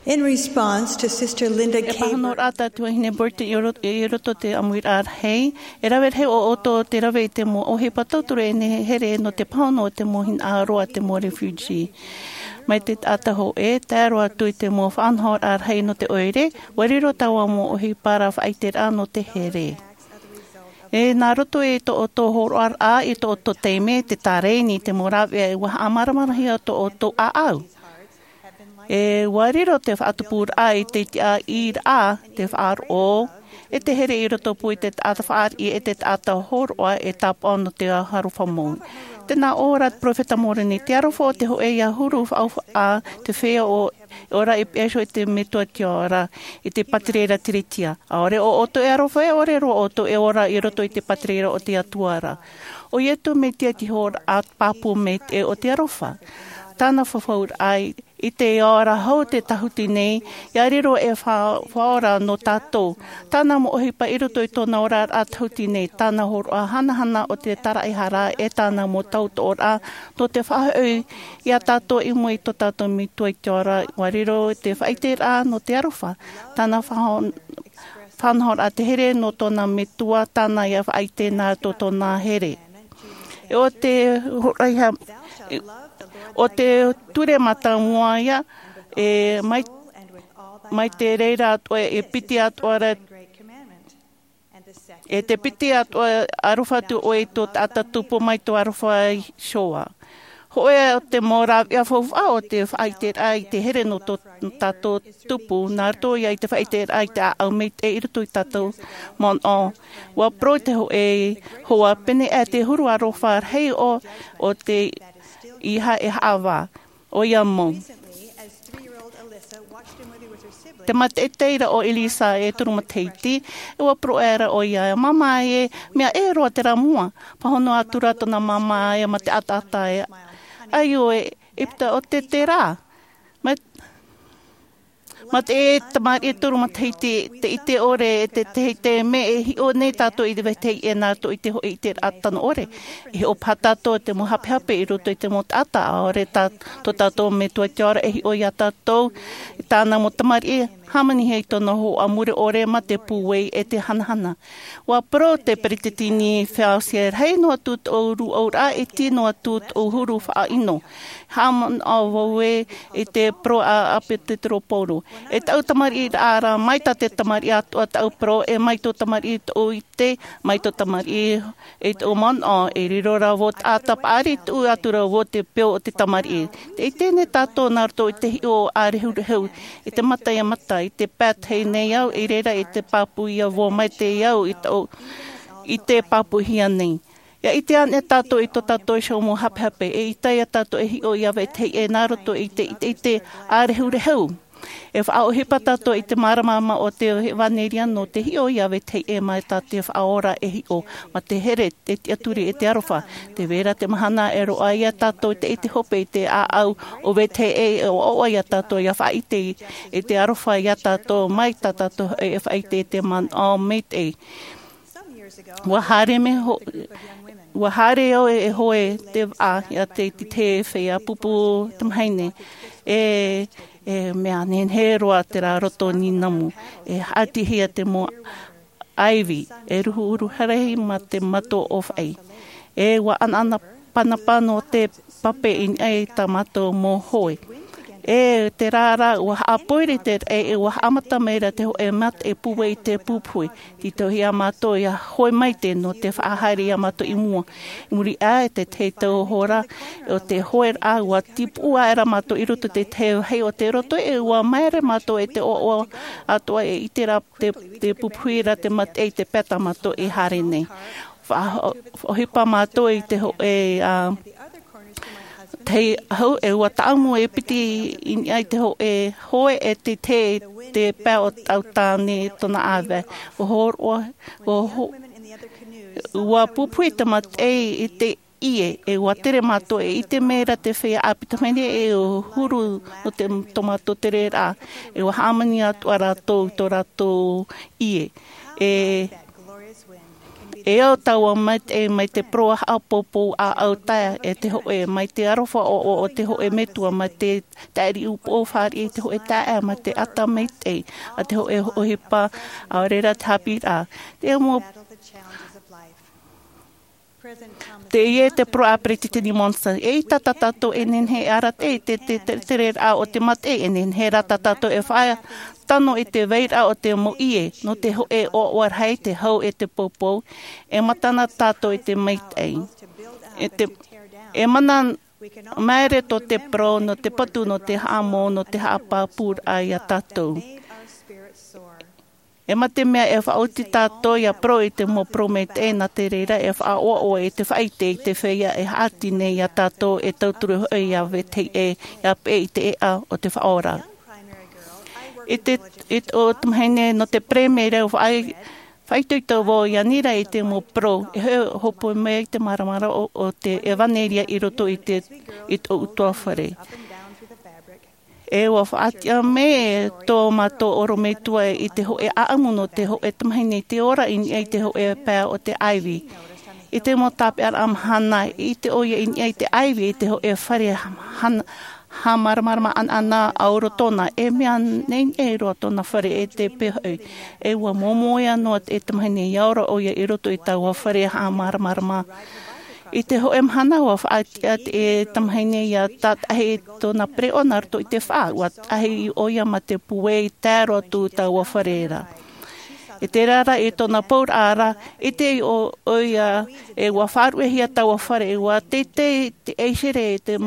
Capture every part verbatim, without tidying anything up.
In response to Sister Linda E K. Pāhonoraʻa tā te tuahine Burton i ro-, i roto te ʻāmuiraʻa rahi, e rave rahi ʻo ʻoutou te rave i te mau ʻohipa tauturu e nehenehe nō te pāhono o te mau hinaʻaro a te mau refugee. Mai te taʻata hōʻē, tae roa atu i te mau faʻanahoraʻa rahi nō te ʻoire, ʻua riro taua mau ʻohipa ra faʻaʻiteraʻa nō te here. E nā roto i tō ʻoutou hōroʻaraʻa, i tō ʻoutou taime, te tārēni, te mau rāveʻa, ʻua haʻamāramaramahia tō ʻoutou ʻāʻau. E ʻua riro te faʻatupuraʻa i te tiʻaʻiraʻa, te faʻaroʻo, e te here i rotopū i te taʻata fāriʻi, e te taʻata hōroʻa, e tāpaʻo nō te aroha mau. Tē nā ʻō ra te peropheta Moroni, te aroha o te hōʻē ʻia huru faʻaufaʻa, te feiā ʻo, ʻo ʻoia i peʻe iho i te metua tiʻa ra, i te pātireia tiriti. ʻAore ʻo ʻoutou e aroha, e ʻore roa ʻoutou e ora i roto i te pātireia o te Atua ra. ʻO Iesu Mesia te hōroʻa pāpū maitaʻi o te aroha. Tāna fafauraʻa i te ao ra hou te tahuti nei, ʻia riro e fa-, faʻaora nō tātou. Tāna mau ʻohipa i roto i tōna oraraʻa tahuti nei, tāna hōroʻa hanahana o te tāraʻehara e tāna mau tautooraʻa, nō te faʻahoʻi iā tātou i mua i tō tātou Metua i te ao ra, ʻua riro te faʻaʻiteraʻa nō te aroha. Tāna faʻa-, faʻanahoraʻa te here nō tōna Metua, tāna ʻia faʻaʻite nā tō tōna here. E ʻo te hōroʻa, e ʻo te ture mātāmua ïa, e mai, mai te reira atoʻa, e piti atoʻa ra, e te piti atoʻa, aroha atu ʻoe i tō taʻata tupu mai tō aroha iho ā. Hōʻē ā te mau rāveʻa faufaʻa o te faʻaʻiteraʻa i te here nō tō tātou tupu, nā roto ïa i te faʻaʻiteraʻa i te ʻāʻau maitaʻi i roto i tātou manaʻo. ʻUa parau te hōʻē hoa, pēneiaʻe te huru aroha rahi ʻo, ʻo te ʻīʻīhā e haʻavā. ʻOia mau. Te maitaʻi teie ra ʻo Elisa e toru matahiti, e ʻua parau aʻera ʻoia, māmā e, mea ʻē roa terā mua. Pāhono atu ra tōna māmā e mā te ʻataʻata e, ʻaita ʻoe, ʻeita ʻo te terā. Mā, mā te tamariʻi e toru matahiti, te ʻite ʻore e te, te, te mea e hiʻo nei tātou i te vetahi ʻē nā roto i te hōʻē ʻiteraʻa tano ʻore. E hiʻo paha tātou te mau hapehape i roto i te mau taʻata, ʻaore tā, tō tātou Metua i te ao ra e hiʻo iā tātou, tāna mau tamariʻi, hāmanihia i tōna hōhoʻa mure ʻore mā te pūai e te hanahana. ʻUa parau te peresideni Fausset, rahi noa atu tōʻu rūʻauraʻa, e iti noa atu tōʻu huru faʻaʻino. Haʻamanaʻo vau ē i te parau a ʻAposetolo Paulo. E tāʻu tamariʻiraʻa ra, mai tā te tamariʻi atoʻa tāʻu parau, e mai tō tamariʻi tōʻu ʻite, mai tō tamariʻi e tōʻu manaʻo, e riro rā vau taʻata paʻari, tuʻu atu ra vau te peu o te tamariʻi. Tē ʻite nei tātou nā roto i te hiʻo ʻārehurehu, i te mata ia mata, i te pae tahi nei au, i reira i te pāpū ia vau mai te au i tōʻu, i te pāpūhia nei. ʻIa ʻite anaʻe tātou i tō tātou iho mau hapehape, eʻita ia tātou e hiʻo iā vetahi ʻē nā roto i te, i te, i te ʻārehurehu. E faʻaʻohipa tātou i te māramarama o te ʻevanelia nō te hiʻo iā vetahi ʻē mai tā te Faʻaora e hiʻo, mā te here, te tiʻaturi e te aroha. Tē vai ra te mahana e roaʻa iā tātou te ʻite hope i te ʻāʻau o vetahi ʻē, e ʻoaʻoa iā tātou ʻia faʻaʻite i te aroha iā tātou mai tā tātou e faʻaʻite i te manaʻo maitaʻi. ʻUa haere mai ho-, ʻua haere au e hoe te vaʻa iā te, te, te feiā pupu tamahine. E, e mea nehenehe roa terā roto nīnamu. E haʻatihia te mau ʻaivi, e ruhuruhu rahi mā te mato ʻōfaʻi. E ʻua ʻanaʻanapānapā nō te pape i niʻa i tā mātou mau hoe. E terā rā, ʻua haʻapoiri te raʻi, e ʻua haʻamata mai ra te hōʻē mataʻi pūai i te pupuhi. Tītauhia mātou ʻia hoe maitaʻi nō te faʻahaere iā mātou i mua. I muri aʻe i te tahi tau hora, ʻo te hoeraʻa, ʻua tīpuʻu aʻera mātou i roto i te tahi vāhi o te roto, e ʻua māere mātou e te ʻoaʻoa atoʻa e ʻite ra te, te pupuhi ra te mataʻi i te pae tā mātou e haere nei. Faʻa-, faʻaʻohipa mātou i te hōʻē, ā, tahi ahu, e ʻua tāʻamu e piti i niʻa i te hōʻē hoe e te, te, te pae o tāʻu tāne tōna ʻāvae. ʻUa hōroʻa, ʻua ho-, ʻua pupuhi te mataʻi i te ʻie, e ʻua tere mātou e ʻite mai ra te feiā ʻāpī tamahine e ʻua huru nō te, tō mātou tereraʻa, e ʻua hāmani atoʻa rātou i tō rātou ʻie. E, E au taua maitaʻi mai te parau haʻapōpou ʻāʻau taeaʻe e te hōʻē, mai te aroha ʻoaʻoa o te hōʻē metua, mai te taʻiri upoʻo fāriʻi i te hōʻē taeaʻe, mai te ata maitaʻi a te hōʻē ʻohipa, ʻaore rā te haʻapiʻiraʻa. Te mau Teie te parau a Peresideni Monson, e ʻaita tā tātou e nehenehe e arataʻi i te, te, te, tereraʻa o te mate, e nehenehe rā tā tātou e faʻatano i te vairaʻa o te mau ʻie, nō te hōʻē ʻoaʻoa rahi, te hau e te poupou, e mātana tātou i te maitaʻi. E te, e mana maere tō te parau, nō te patu, nō te haʻamou, nō te haʻapāpūraʻa iā tātou. E mā te mea e faʻaoti tātou ia parau i te mau parau maitaʻi, nā te reira e faʻaʻoaʻoa i te faʻaʻite i te feiā e haʻati nei iā tātou e tauturu hoʻi ia vetahi ʻē, ia peʻe i te ʻēʻa o te Faʻaora. I te, i te, o te mahine nō te Peremera, faʻaitoito vau ia ʻanira i te mau parau, e hōpoi mai te māramarama o, o te ʻevanelia i roto i te, i tōʻu ʻutuāfare. E ʻua faʻatiʻa mai tō mātou ʻorometua i te hōʻē ʻāʻamu nō te hōʻē tamahine i te ora i niʻa i te hōʻē pae o te ʻaivi. I te mau tāpeʻaraʻa mahana, i ʻite ʻoia i niʻa i te ʻaivi, i te hōʻē fare hana, haʻamāramarama ʻanaʻana ʻauro tōna, e mea nehenehe roa tōna fare e te pēhoi. E ʻua moemoeā noa te tamahine ia ora ʻoia i roto i taua fare haʻamāramarama. I te hōʻē mahana ʻua faʻatiʻa te tamahine ia tātaʻahi tōna pereʻoʻo nā roto i te faʻa, ʻua taʻahi ʻoia mā te pūai tae roa atu taua fare ra. I terā rā i tōna pauraʻa ra, ʻite ʻoia e ʻua faʻaruʻehia taua fare, e ʻua teitei te ʻaisere e te,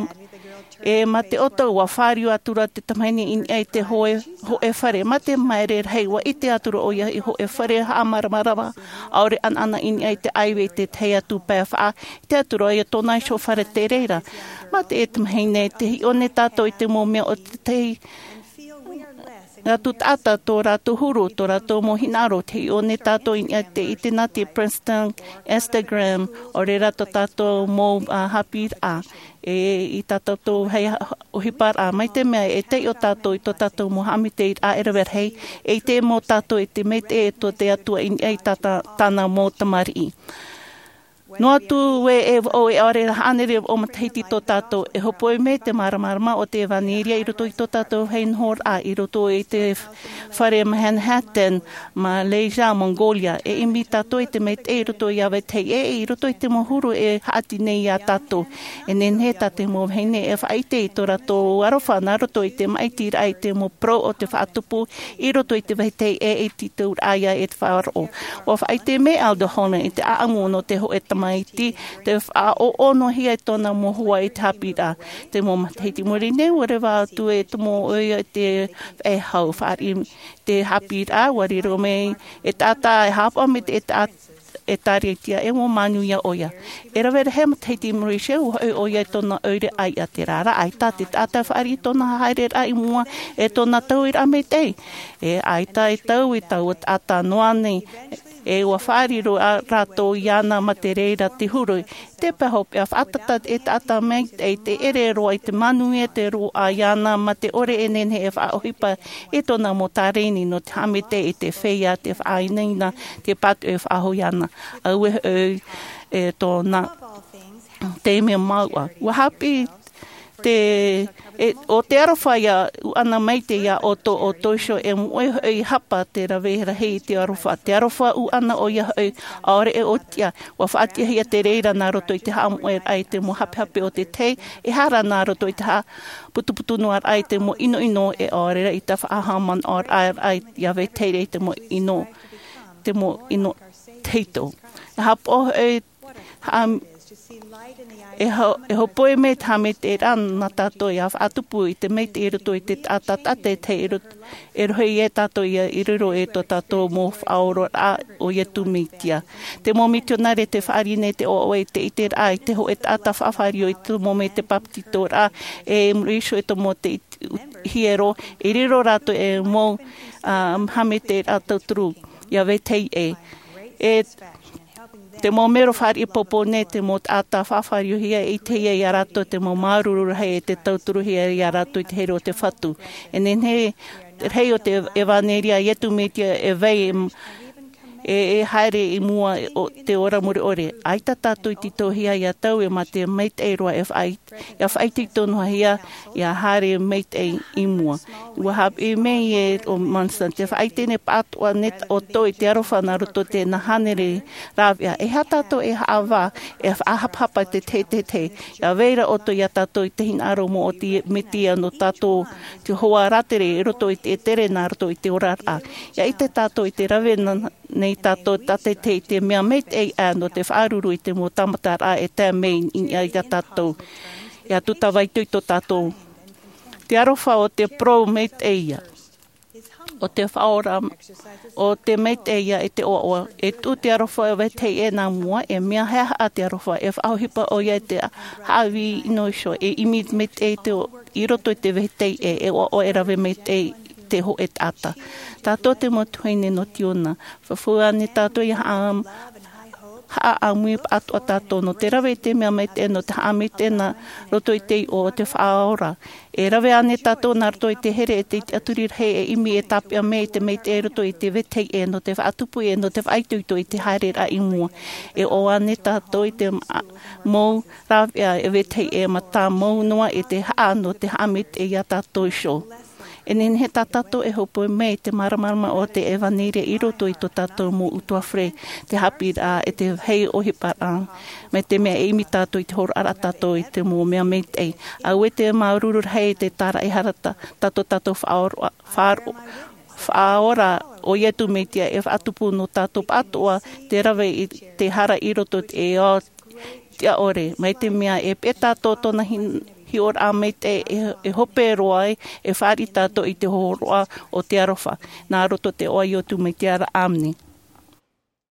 e mā te ʻoto ʻua fāriu atu ra te tamahine i niʻa i te hōʻē, hōʻē fare. Mā te maere rahi ʻua ʻite atu ra ʻoia i hōʻē fare haʻamāramarama, ʻaore ʻanaʻana i niʻa i te ʻaivi i te tahi atu pae faʻa, ʻite atu ra ʻoia tōna iho fare te reira. Mā te tamahine, tē hiʻo nei tātou i te mau mea o te tahi atu taʻata, tō rātou huru, tō rātou mau hinaʻaro, tē hiʻo nei tātou i niʻa i te ʻite nā te Princeton, Instagram, ʻaore rā tō tātou mau, ā, haʻapiʻiraʻa. E, i tā tātou hei ha-, ʻohiparaʻa, mai te mea e taiʻo tātou i tō tātou mau haʻamaitaʻiraʻa e rave rahi, e ʻite mau tātou i te maitaʻi o te Atua i niʻa i tā, tā, tāna mau tamariʻi. Noa atu ē e vaʻo, e ʻaore rā hānere vaʻo matahiti tō tātou, e hōpoi mai te māramarama o te ʻevanelia i roto i tō tātou hei nohoraʻa, i roto i te fare Manhattan, Malaysia, Mongolia. E ʻimi tātou i te maitaʻi i roto iā vetahi ʻē, i roto i te mau huru e haʻati nei iā tātou. E nehenehe tā te mau vahine e faʻaʻite i tō rātou aroha nā roto i te māʻitiraʻa i te mau parau o te faʻatupu i roto i te vetahi ʻē e tītauraʻa ia e te faʻaroʻo. ʻUa faʻaʻite mai Elder Holland i te ʻāʻamu nō te hōʻē tamaiti, tē faʻaʻoʻonohia e tōna mau hoa i te haʻapiʻiraʻa. Te mau matahiti i muri nei, ʻua reva atu e tomo ʻoia i te faʻehau, fāriʻi te haʻapiʻiraʻa, ʻua riro mai e taʻata e haʻapaʻo mai te taʻata e tāriaria, e ʻua manuia ʻoia. E rave rahi matahiti i muri iho, ʻua hoʻi ʻoia i tōna ʻoire ʻāiʻa. Terā rā, ʻaita te taʻata e fāriʻi tōna haereraʻa i mua e tōna tauiraʻa maitaʻi. E ʻaita e taui taua taʻata noa nei, e ʻua fāriro ā rātou iāna mā te reira te huru. Te pae hopeʻa, faʻatata e taʻata maitaʻi, tē ʻere roa i te manuia te roaʻa iāna mā te ʻore e nehenehe e faʻaʻohipa i tōna mau tārēni nō te haʻamaitaʻi i te feiā, te faʻainaina, te pātoʻi e faʻahou iāna. Auē hoʻi e tōna taime mauʻa. ʻUa haʻapiʻi te, e, ʻo te aroha ia ʻuʻana maitaʻi iā ʻoutou, ʻoutou iho e moʻe hoʻi hapa te rave rahi i te aroha. Te aroha ʻuʻana ʻoia hoʻi, ʻaore e ʻōtiʻa. ʻUa faʻatiʻahia te reira nā roto i te haʻamoʻeraʻa i te mau hapehape o te tahi, e hara nā roto i te haʻaputuputu noa raʻa i te mau ʻinoʻino, e ʻaore rā i te faʻahaʻamanaʻoraʻa ia vetahi i te mau ʻino, te mau ʻino tahito. E haʻapaʻo hoʻi, haʻa-, e ho-, e hōpoi mai te haʻamaitaʻiraʻa nā tātou ia faʻatupu i te maitaʻi i roto i te taʻata, taʻata e tahi i roto, e rohi ia tātou ia i riro e tō tātou mau faʻaororaʻa ʻo Iesu Mesia. Te mau mitionare tē fāriʻi nei te ʻoaʻoa i te ʻiteraʻa i te hōʻē taʻata faʻafāriu i tomo mai te bāpetizoraʻa, e i muri iho e tomo te it-, hiero, e riro rātou e mau, ā, haʻamaitaʻiraʻa tauturu ia vetahi ʻē. E te mau mero fāriʻi poupou nei, te mau taʻata faʻafāriuhia, e ʻitehia iā rātou te mau māuruuru rahi e tē tauturuhia iā rātou i te here o te Fatu. E nehenehe rahi o te ʻevanelia a Iesu Mesia e vai, E e haere i mua o te ora mure ʻore. ʻAita tātou i titauhia ia taui mā te maitaʻi roa e faʻaʻite ia faʻaʻite i tōna hia ia haere maitaʻi i mua. Ua haʻapiʻi mai e o Monson te faʻaʻite nei pātoʻa nei ʻoutou i te aroha nā roto i te nā hānere rāveʻa e hā tātou e haʻavā e faʻahapahapa te tehetehe ia vaira ʻoutou ia tātou i te hinaʻaro mō o te metia nō tātou te hoa rātere i roto i te tere nā roto i te oraraʻa. Ia ʻite tātou i te rave nei tātou tātetehe i te mea maitaʻi ʻā nō te faʻaruru i te mau tāmataraʻa e tae mai i niʻa iā tātou. Ia tūtavaitoito tātou te aroha o te parau maitaʻi ia o te faʻaora o te maitaʻi ia e te ʻoaʻoa e tuʻu te aroha e vetahi ʻē nā mua e mea haʻahaʻa te aroha e faʻaʻohipa ʻoia i te haʻavī ʻino iho e ʻimi maitaʻi te i roto i te vetahi ʻē e ʻoaʻoa e rave maitaʻi te hōʻē taʻata. Tātou te mau tuahine nō tiona fafau ānei tātou ia haʻa haʻaʻamui pātoʻa tātou nō te rave i te mea maitaʻi nō te haʻamaitaʻi nā roto i te iʻoa o te faʻaora. E rave ānei tātou nā roto i te here e te tiʻaturi rahi e ʻimi e tāpeʻa mai i te maitaʻi roto i te vetahi ʻē nō te faʻatupu ʻē nō te faʻaitoito i te haereraʻa i mua. E ʻoaʻoa ānei tātou i te mau rāveʻa e vetahi ʻē mā tā mau noa i te haʻa nō te haʻamaitaʻi iā tātou iho. E nehenehe tā tātou e hōpoi mai i te māramarama o te ʻevanelia i roto i tō tātou mau ʻutuāfare, te haʻapiʻiraʻa e te hei ʻohiparaʻa mai te mea e ʻimi tātou i te hōroʻaraʻa tātou i te mau mea maitaʻi. Auē te māuruuru rahi i te tāraʻehara tātou tātou faʻaora faʻaora o iesu mesia e faʻatupu nō tātou pātoʻa te rave i te hara i roto i te ao tiʻaʻore mai te mea e peʻe tātou tōna hiʻoraʻa maitaʻi e hope roa ai e fāriʻi tātou i te hōroʻa o te aroha nā roto i te iʻoa o iesu mesia. Āmene.